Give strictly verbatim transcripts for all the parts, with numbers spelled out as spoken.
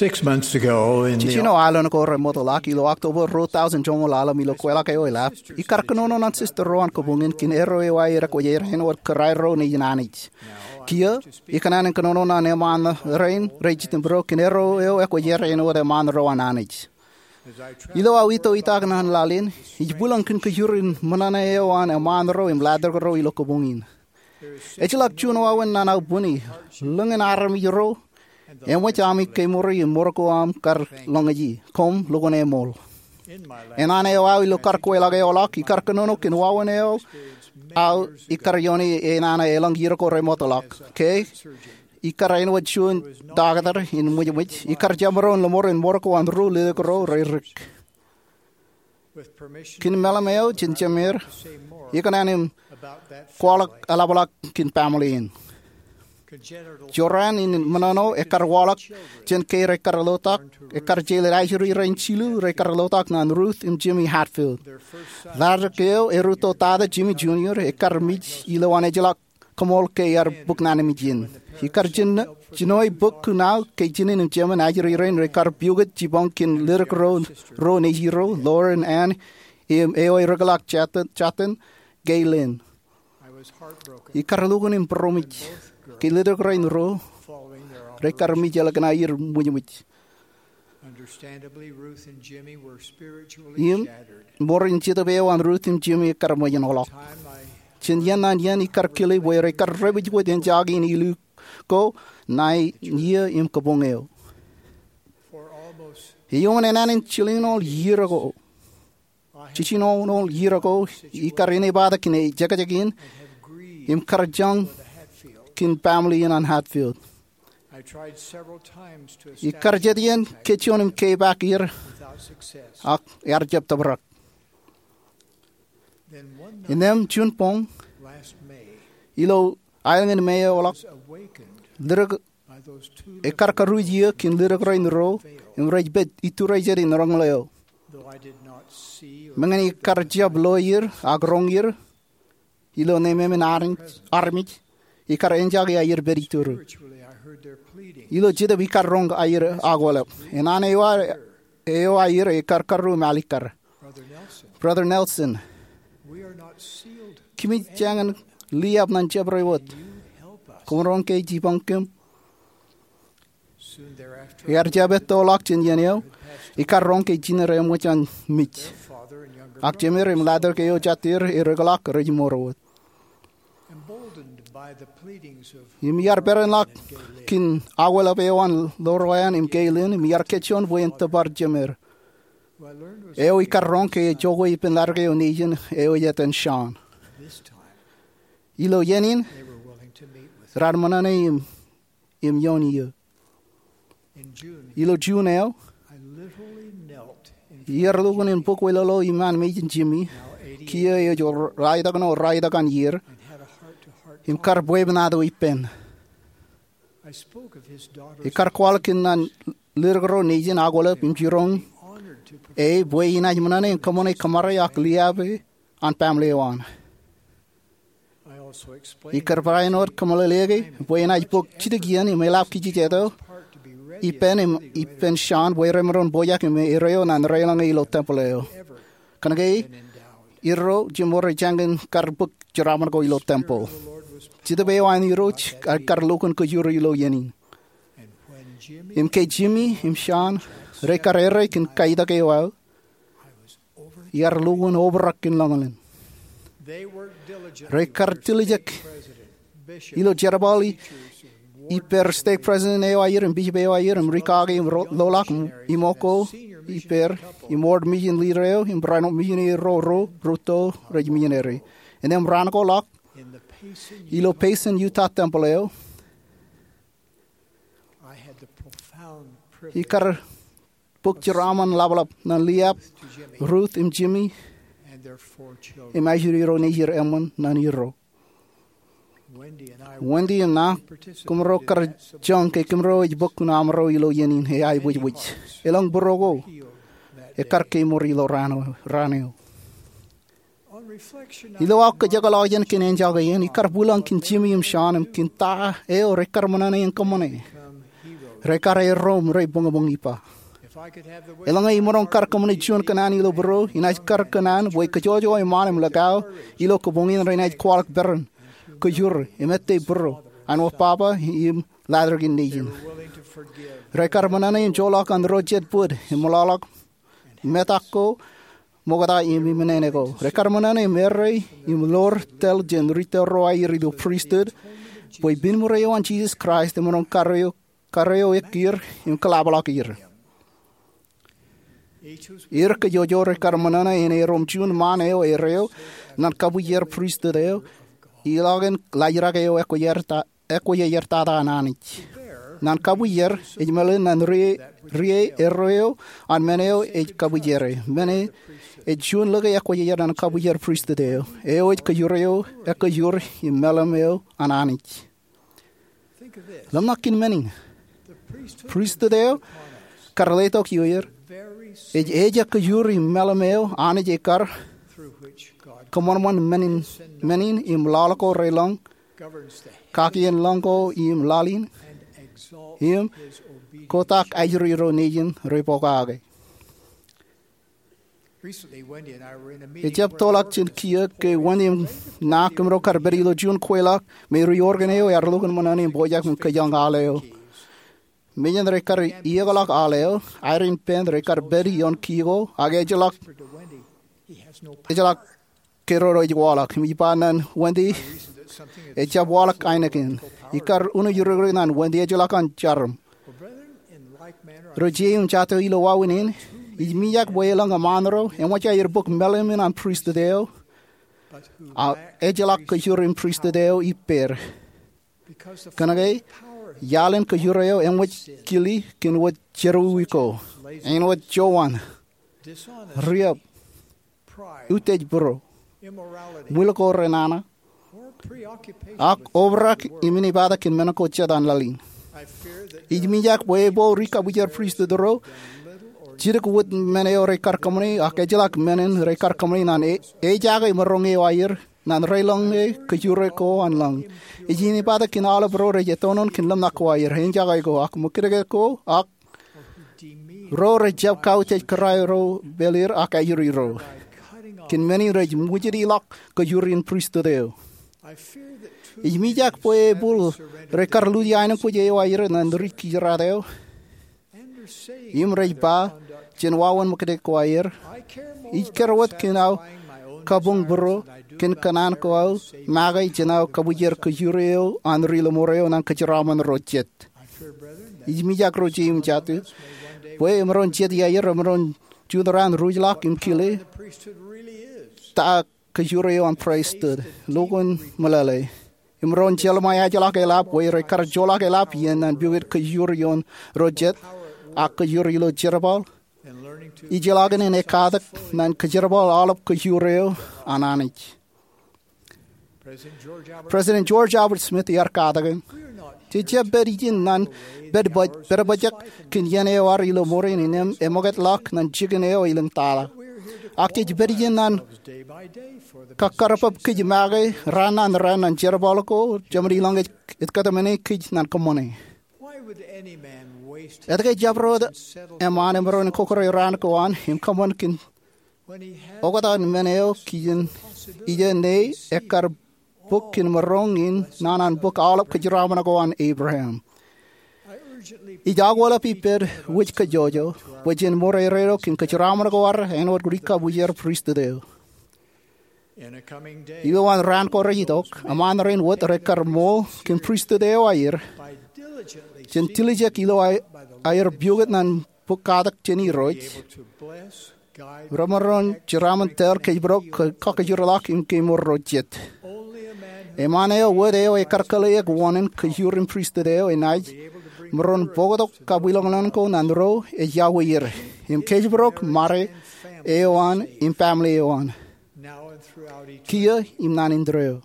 Six months ago, in the Jiljino aolep ko remootḷọk ilo October ruo tọujin joñoul ḷalem, ilo kweilọk eo elap, ikar kōnono ñan sister ro an kōbuñin kōn erro eo aer ekwōjarjar āinwōt kōrā ro nejin Anij. Kiiō, ikōṇaan in kōnono ñan eṃṃaan rein rej jitōnbōro kōn erro eo ekwōjarjar āinwōt eṃṃaan ro an Anij. Ilo aō ito itak ñan laḷ in, ij bwilōñ kōn kōjur in ṃōṇōṇō eo an eṃṃaan ro im ḷadik ro ilo kōbuñin. Ejjeḷọk juon wāween ñan aō bwini, lōñ in armej ro, eṃōj ami kemour im mour ko aṃ kar lōñōj e, koṃ lukkuun eṃool. Enana eo aō ilo kar kweilọk eo ḷọk, ikar kōnono kōn wāween eo aō ikar ioone enana elōñ iiō ko remootḷọk. Ke ikar āinwōt juon taktō in ṃwijṃwij, ikar jab maroñ lōṃur in mour ko an ruo ledik ro re dik. Kōn meḷeḷe eo jān Jemeer, ikōṇaan im kwaḷọk eḷapḷọk kōn baaṃle in. Jorrāān in ṃōṇōṇō ekkar waḷọk jān ke rekar lotak, ekkar jeḷā ajri rein jilu rekar lotak ñan Ruth im Jimmy Hatfield. Ḷadik eo erūtto tata, Jimmy Junior, ekkar mej ilowaan ejjeḷọk kōṃool ke ear bōk naan in ijin. Ikar jino, jino bōk kuṇaō ke jinen im jemān ajri rein rekar piukot jipañ kōn ledik ro, ro nejirro, Lauren Ann im eo ereḷọk jatōn, jatōn, Gaylene. Ikar lukkuun im būroṃōj ke ledik rein ro rekar mej ḷọk ñan aer ṃwijṃwij. Im, ṃoor in jetōb eo an Ruth im Jimmy ekar ṃōjin ḷọk. Jān iien ñan iien ikar kile bwe rekar repeje wōt enjake in illu ko ṇae iiō im kōbuñ eo. Eoon enana in jiljinoul iiō ko, jiljinoul iiō ko, ikar inepata kōn ejekjek in im kar jañ kōn baaṃle in an Hatfield. Ikar jet iien kōj juon im kepaak er, ak ear jab tōprak. Innām juon boñ, ilo aelōñ in May eo ḷọk, ledik, ekar karuj iiō kōn ledik rein ro im rej pād iturijet in roñoul eo. Meñe ikar jab lo er ak roñ er, ilo nemāmein armej, armej, ikar enjake aer pād iturū. Ilo jetōb ikar roñ aer akwālep. Enana eo aer, eo aer ekar karreo im alikkar, Brother Nelson, kōmij jañin liab ñan jabdewōt wōt. Koṃ roñ ke jipañ kōm. Ear jab ettoḷọk jān iien eo, ikar roñ ke jined eṃōj an mej. Ak jemeer im ḷadik eo jatū er ereḷọk rej mour wōt. Im iar perenḷọk kōn akwālep eo an Lauren Ann im Gaylene, im iar kōjjoon bwe en tōpar jemeer. Eo ikar roñ ke ejoko ippān ḷadik eo nejin eo ej etan Sean. Ilo iien in, raar ṃōṇōṇō im im ioon iiō. Ilo June eo, iar lukkuun in bōk wōtlọk iṃaan mejin Jimmy, kiiō ej raetak ṇe, raetak an iiō, im kar bwebwenato ippān. Ikar kwaḷọk kōn an ledik ro nejin akwālep im jiroñ e bwe inaaj ṃōṇōṇō im kōṃṃane kōṃṃare ak liab e an baaṃle eo an. Ikar barāinwōt kōmeḷeḷeiki bwe enaaj bōk jidik iien im eḷap kijejet eo ippān im ippān Sean bwe remaroñ pojak im erreo ñan raelōñ e ilo tempel eo. Kōnke erro jemor ejjañin kar bōk jeraaṃṃan ko ilo tempel. Jetōb eo an Irooj ekar lukkuun kōjro ilo iien in. Im ke Jimmy im Sean rekar erreo kōn kaitak eo aō, iar lukkuun obrak kōn lōñlōñ. Rekar tiljek ilo jerbal i, ippāer stake president eo aer im bishop eo aer im ri kake im ro-, loḷọk im, im oko ippāer im ward mission leader eo im barāinwōt missionary ro, ro rūtto rej missionary. Innām raan ko ḷọk ilo Payson Utah tempel eo, ikar bōk jeraaṃṃan ḷapḷap ñan liab Ruth im Jimmy im ajri ro nejid eṃṃan ñan erro. Wendy im ṇa, kōmro kar jañ ke kōmro ej bōk kuṇaṃro ilo iien in eaebwijbwij. Elōñ būruo ko ekar kemour ilo raan eo, raan eo. Ilo aō kōjekḷọk jān kōn enjake in, ikar bwilōñ kōn Jimmy im Sean im kōn ta eo rekar ṃōṇōṇō in kōṃṃane. Rekar erom rej boñboñ ippa. Eḷaññe imaroñ kar kōṃṃane juon kōṇaan ilo būruō, inaaj kar kōṇaan bwe kōjwōjwōj eṃṃaan im likao ilo kōboñ in renaaj kwaḷọk peran, kōjur, im ettā būruō an wōt Baba im Ḷadik in Nejin. Rekar ṃōṇōṇō im joḷọk an ro jet bōd im ṃōḷaḷḷọk metak ko, ṃokta im iminene ko. Rekar ṃōṇōṇō im errā im ḷoor tōl jān ri tōl ro aer ilo pristut bwe binmure eo an Jisōs Kraist emaroñ karreo, karreo ekier im kōḷapḷọk er. Er kōjwōjwōj rekar ṃōṇōṇō en erom juon ṃaan eo erreo ñan kabwijer pristut eo iḷọk in laajrak eo ekwe ear ta, ekwe ear tata an Anij. Ñan kabwijer, ej meḷeḷe ñan ri, ri erreo an men eo ej kabwijere. Men e ej juon lōke ekwe ear ñan kabwijer pristut eo, eo ej kōjur eo, ekkōjur im meḷeḷe eo an Anij. Ḷōmṇak kōn men in. Pristut eo kar letok ioer ej, ej ekkōjur im meḷeḷe eo Anij ekar kōṃanṃan men in, men in im laḷ ko relōñ, kakien lōñ ko im laḷ in, im kotak ajri ro nejin rej pokake. Ejab toḷọk jān kiiō ke Wendy im ña kōmro kar pād ilo juon kweilọk me ri Oregon eo ear lukkuun ṃōṇōṇō im pojak im kōjañ al eo. Mejān rekar iiōkḷọk al eo, Irene Penn rekar pād ioon kiiō ko ak ejjeḷọk, ejjeḷọk keroro ej waḷọk. Im ij ba ñan Wendy, ejab waḷọk ainikien. Ikar uno iruruk ñan Wendy ejjeḷọk an jarom. Ro jeiū im jatū ilo wāween in, ij mijak bwe elōñ eṃṃaan ro eṃōj aer bōk meḷeḷe in an pristut eo, ak ejjeḷọk kōjur in pristut eo ippāer. Kōnke iaḷ in kōjur eo eṃōj kile kōn wōt jerọwiwi ko, āinwōt jowan, riab, utiej būruō, ṃwiil ko renana, ak obrak im inepata kōn men ko jet an laḷ in. Ij mijak bwe epād ri kabwijer pristut ro jidik wōt men eo rekar kōṃṃane, ak ejjeḷọk men in rekar kōṃṃane ñan e, ejake maroñ eo aer ñan relōñe kōjure ko an lōñ. Ej inepata kōn aolep ro rej ettoon kōn ḷōmṇak ko aer, eñjake ko, ak ṃōkajdik ko, ak ro rejjab kautiej kōrā ro pāleer ak ajri ro. Kōn men in rej ṃwijin ilọk kōjur in pristut eo. Ij mijak bwe ebōl rekar luji aenōṃṃan eo aer ñan ri kijeraad eo im rej ba jān wāween ṃōkajdik ko aer, ij kar wōt kōn aō kabuñ būruō kōn kōṇaan ko aō make jān aō kabwijer kōjur eo an ri lọmọọr eo ñan kōjeraaṃṃan ro jet. Ij mijak ro jeiū im jatū bwe emaroñ jet iaer emaroñ juon raan ruj ḷọk im kile ta kōjur eo an pristut, lukkuun meḷeḷe. Im emaroñ jeḷā ṃae ejjeḷọk eḷap bwe rekar joḷọk eḷap iien ñan pukot kōjur ioon ro jet, ak kōjur ilo jerbal, ijjeḷọkin in ekkatak ñan kōjerbal aolep kōjur eo an Anij. President George Albert Smith ear katakin, jej jab pād ijin ñan pād bōj, pād bōjrak kōn iien eo ear ilo mour in im eṃōkajḷọk ñan jikin eo elōñ tata. Ak jej pād ijin ñan kakkarpap kōj make raan ñan raan ñan jerbal ko jeṃaan ilōñ ej, ej kōtmāne kōj ñan kōṃṃane. Etke jabdewōt eṃṃaan emaroñ in kokore raan ko an im kōṃṃan kōn oktak in men eo kijen ijo ne ekkar bōk kōn maroñ in naan an bōk aolep kōjeraaṃṃan ko an Abraham. Ij akwōlep ippaṃ wōj kajjojo bwe jen ṃōrere kōn kōjeraaṃṃan ko ad āinwōt ri kabwijer pristut eo. Ilowaan raan ko rej itok, eṃṃaan rein wōt rekar ṃool kōn pristut eo aer jān dilijek ilo aer pukot ñan bōk katak jān Irooj, remaroñ jeraaṃṃan tōl kōjparok, kakajoorḷọk im kemour ro jet. Eṃṃaan eo wōt eo ekar kōḷḷeeik wōṇāān kōjur in pristut eo enaaj maroñ bōktok kabwilōñlōñ ko ñan ro ej iọkwe er im kōjparok ṃare eo an im baaṃle eo an kiiō im naan indeeo.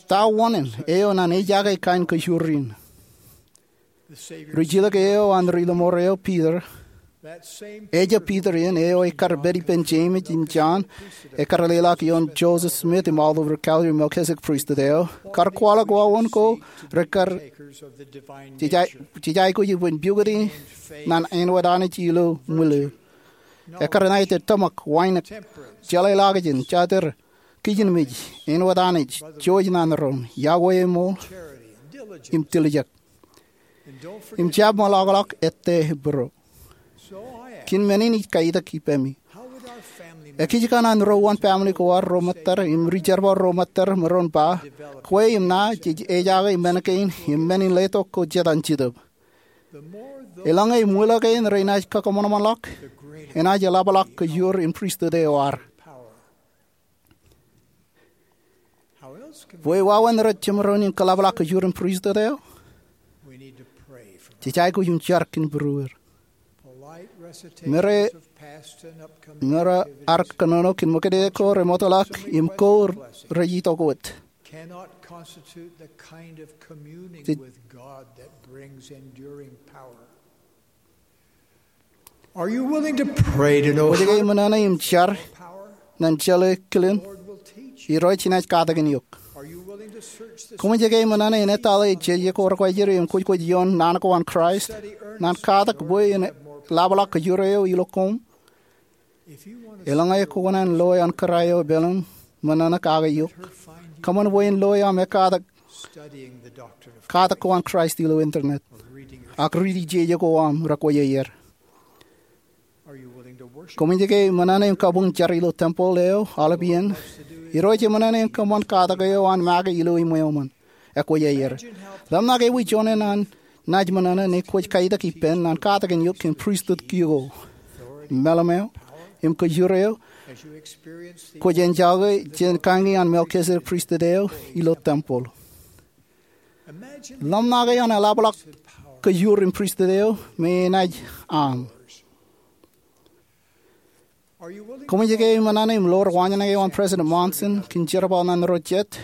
Ta wōṇāān eo ñan ejaake kain kōjur in? Rijilōk eo an ri lọmọọr eo Piter Ejab Piter in, eo ekar pād ippān Jemes im Jon, ekar leḷọk ioon Joseph Smith im Oliver Cowdery Melchizedek Priesthood eo, kar kwaḷọk wāween ko rekar jej aikuj ippān pukoti ñan āinwōt Anij ilo ṃwilu. Ekar ṇa ej tōmak, wānōk, jeḷāḷọkjeṇ, jatūr, kijenmej, āinwōt Anij, jouj naan roñ, iọkwe eṃool, im tiljek. Im jab ṃōḷọkḷọk ettā būruō. Kōn men in ij kaitōk ippaṃi. Ekijjeen an ro uwaan family ko ad ro ṃōttad im ri-jerbal ro ṃōttad maroñ ba, kwe im ṇa jej ejake men kein im men in letok ko jet an Jetōb. Eḷaññe eṃwilaḷ kein renaaj kōṃanṃanḷọk, enaaj eḷapḷọk kōjur in pristut eo ad. Bwe wāween rej jemaroñ in kōḷapḷọk kōjur in pristut eo? Jej aikuj im jar kōn būrueir. Meram, meram ad kōnono kōn ṃōktata ko remootḷọk im ko rej itok wōt. Jej Kwōj ke ṃōṇōṇō im jar ñan jeḷā kilen Irooj enaaj katakin eok? Kwōj ke ṃōṇōṇō in etale jeje ko rekwājeḷ im kwōjkwōj ioon naan ko an Kraist, ñan katak bwe en ḷapḷọk kōjur eo ilo koṃ? Eḷaññe kwō kōṇaan loe an kōrā eo epālim, ṃōṇōṇō kake eok. Kōṃṃan bwe en loe aṃ ekkatak katak ko an Kraist ilo internet, ak riiti jeje ko aṃ rekwōj aer. Kwōj ke ṃōṇōṇō im kabuñ jar ilo tempeḷ eo aolep iien? Irooj eṃōṇōṇō in kōṃṃan katak eo an make ilo iṃweo eṃṃan, ekwōj aer. Ḷōmṇak ewi joñan an naaj ṃōṇōṇō ñe kwōj kaitōk ippān ñan katakin eok kōn pristut kiiō ko, meḷeṃ eo, im kōjur eo kwōj enjoy jān kañi an Melchizedek Priesthood eo ilo tempeḷ. Ḷōmṇake an eḷapḷọk kōjur in pristut eo me enaaj aṃ. Kwōj ke ṃōṇōṇō im loor waanjoñak eo an President Monson kōn jerbal ñan ro jet?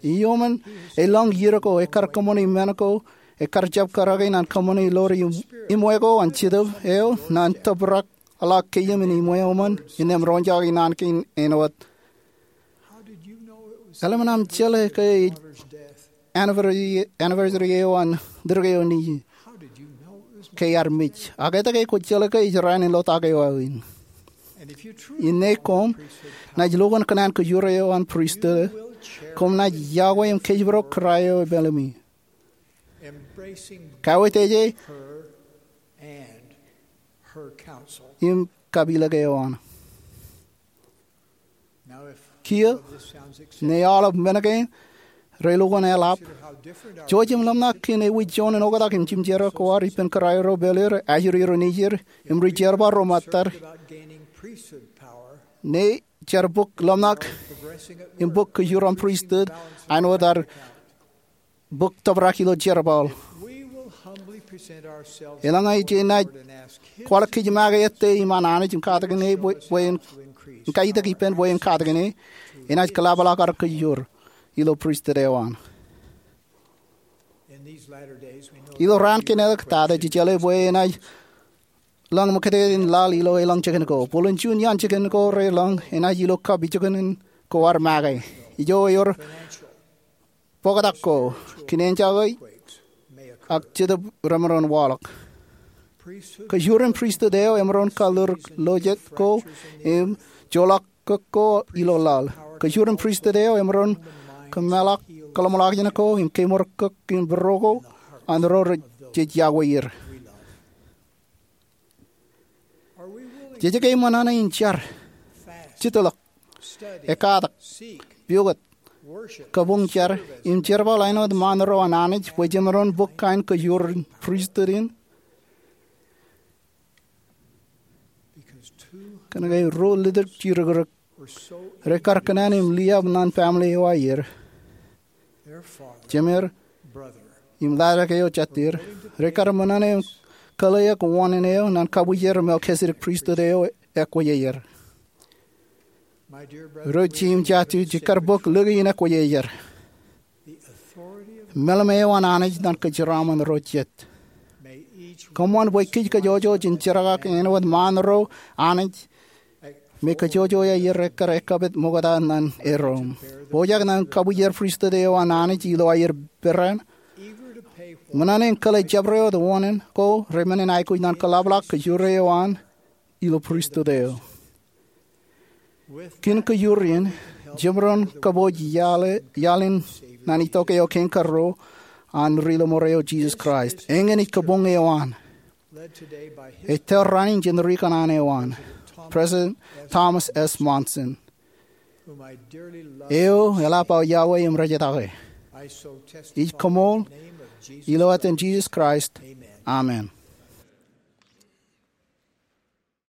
Iuṃwin elōñ iiō ko ekar kōṃṃane men ko ekar jab kōrake ñan kōṃṃane loor im, iṃwe ko an Jetōb eo ñan tōprak ḷọk keiō im iṃwe eṃṃan innām roñjake naan kein āinwōt, eḷap an aṃ jeḷā ke ej anniversary, anniversary eo an ḷōrōk eo nejū ke ear mej? Ak etke kwōj jeḷā ke ej raan in ḷotak eo aō in? Innām koṃ naaj lo kōn kōṇaan kōjur eo an pristut, koṃ naaj iọkwe im kōjparok kōrā eo epālimi, kawōj teje im kapilōk eo an. Kiiō, ñe aolep men kein re lukkuun eḷap, jouj im ḷōmṇak kōn ewi joñan oktak im jimjerā ko ad ippān kōrā eo epāl er, ajri ro nejid, im ri-jerbal ro ṃōttad. Ñe jar bōk ḷōmṇak im bōk kōjur an pristut āinwōt ad bōk tōprak ilo jerbal, eḷaññe jenaaj kwaḷọk kōj make ettā iṃaan Anij im katakin e bwe, bwe en, im kaitōk ippān bwe en katakin e, enaaj kōḷapḷọk ad kōjur ilo pristut eo an. Ilo raan kein eo tata jej jeḷā bwe enaaj lōñ ṃōktata in laḷ ilo elōñ jikin ko. Bōlen juon iaan jikin ko relōñ enaaj ilo kab jikin ko ad make. Ijo ewōr bōktak ko, kōn enjoy, ak Jetōb remaroñ waḷọk. Kōjur in pristut eo emaroñ kalōr lo jet ko im joḷọk kōk ko ilo laḷ. Kōjur in pristut eo emaroñ kōmeḷọk kōḷmānḷọkjeṇ ko im kemour kōk im būruō ko an ro rej jej iọkwe er. Jej ke ṃōṇōṇō in jar, jitḷọk, ekkatak, pukot, kabuñ jar, im jerbal āinwōt ṃaan ro an Anij bwe jemaroñ bōk kain kōjur in pristut in? Kōnke ruo ḷitōk jidikdik rekar kōṇaan im liab ñan family eo aer. Jemed im laajrak eo jatid, rekar ṃōṇōṇō im kōḷḷeeḷe wōṇāān eo ñan kabwijer Melchizedek Priesthood eo ekwōj aer. Ro jet im jatid, jekar bōk lōke in ekwōj aer. Meḷeṃ eo an Anij ñan kōjeraaṃṃan ro jet. Kōṃṃan bwe kōj kōjojoj in jerkakḷọk āinwōt ṃaan ro Anij me kōjojoj aer ekkar ekkapit ṃokta ñan erom. Pojak ñan kabwijer pristut eo an Anij ilo aer peran, ṃōṇōṇō in kōḷḷe jabdewōt oṇān ko remenjen aikuj ñan kōḷapḷọk kōjro eo an ilo pristut eo. Kōn kōjro in, jemdoon kōpooj iaḷ in ñan itok eo kein karuo an Ri-lọmọọr eo Jisōs Kraist, eñin ej kabuñ eo an, ettour raan in jān ri kōṇaan eo an, President Thomas S. Monson, eo eḷap aō iọkwe im rejetakke. Ij koṃṃool ilo etan Jisōs Kraist, amen.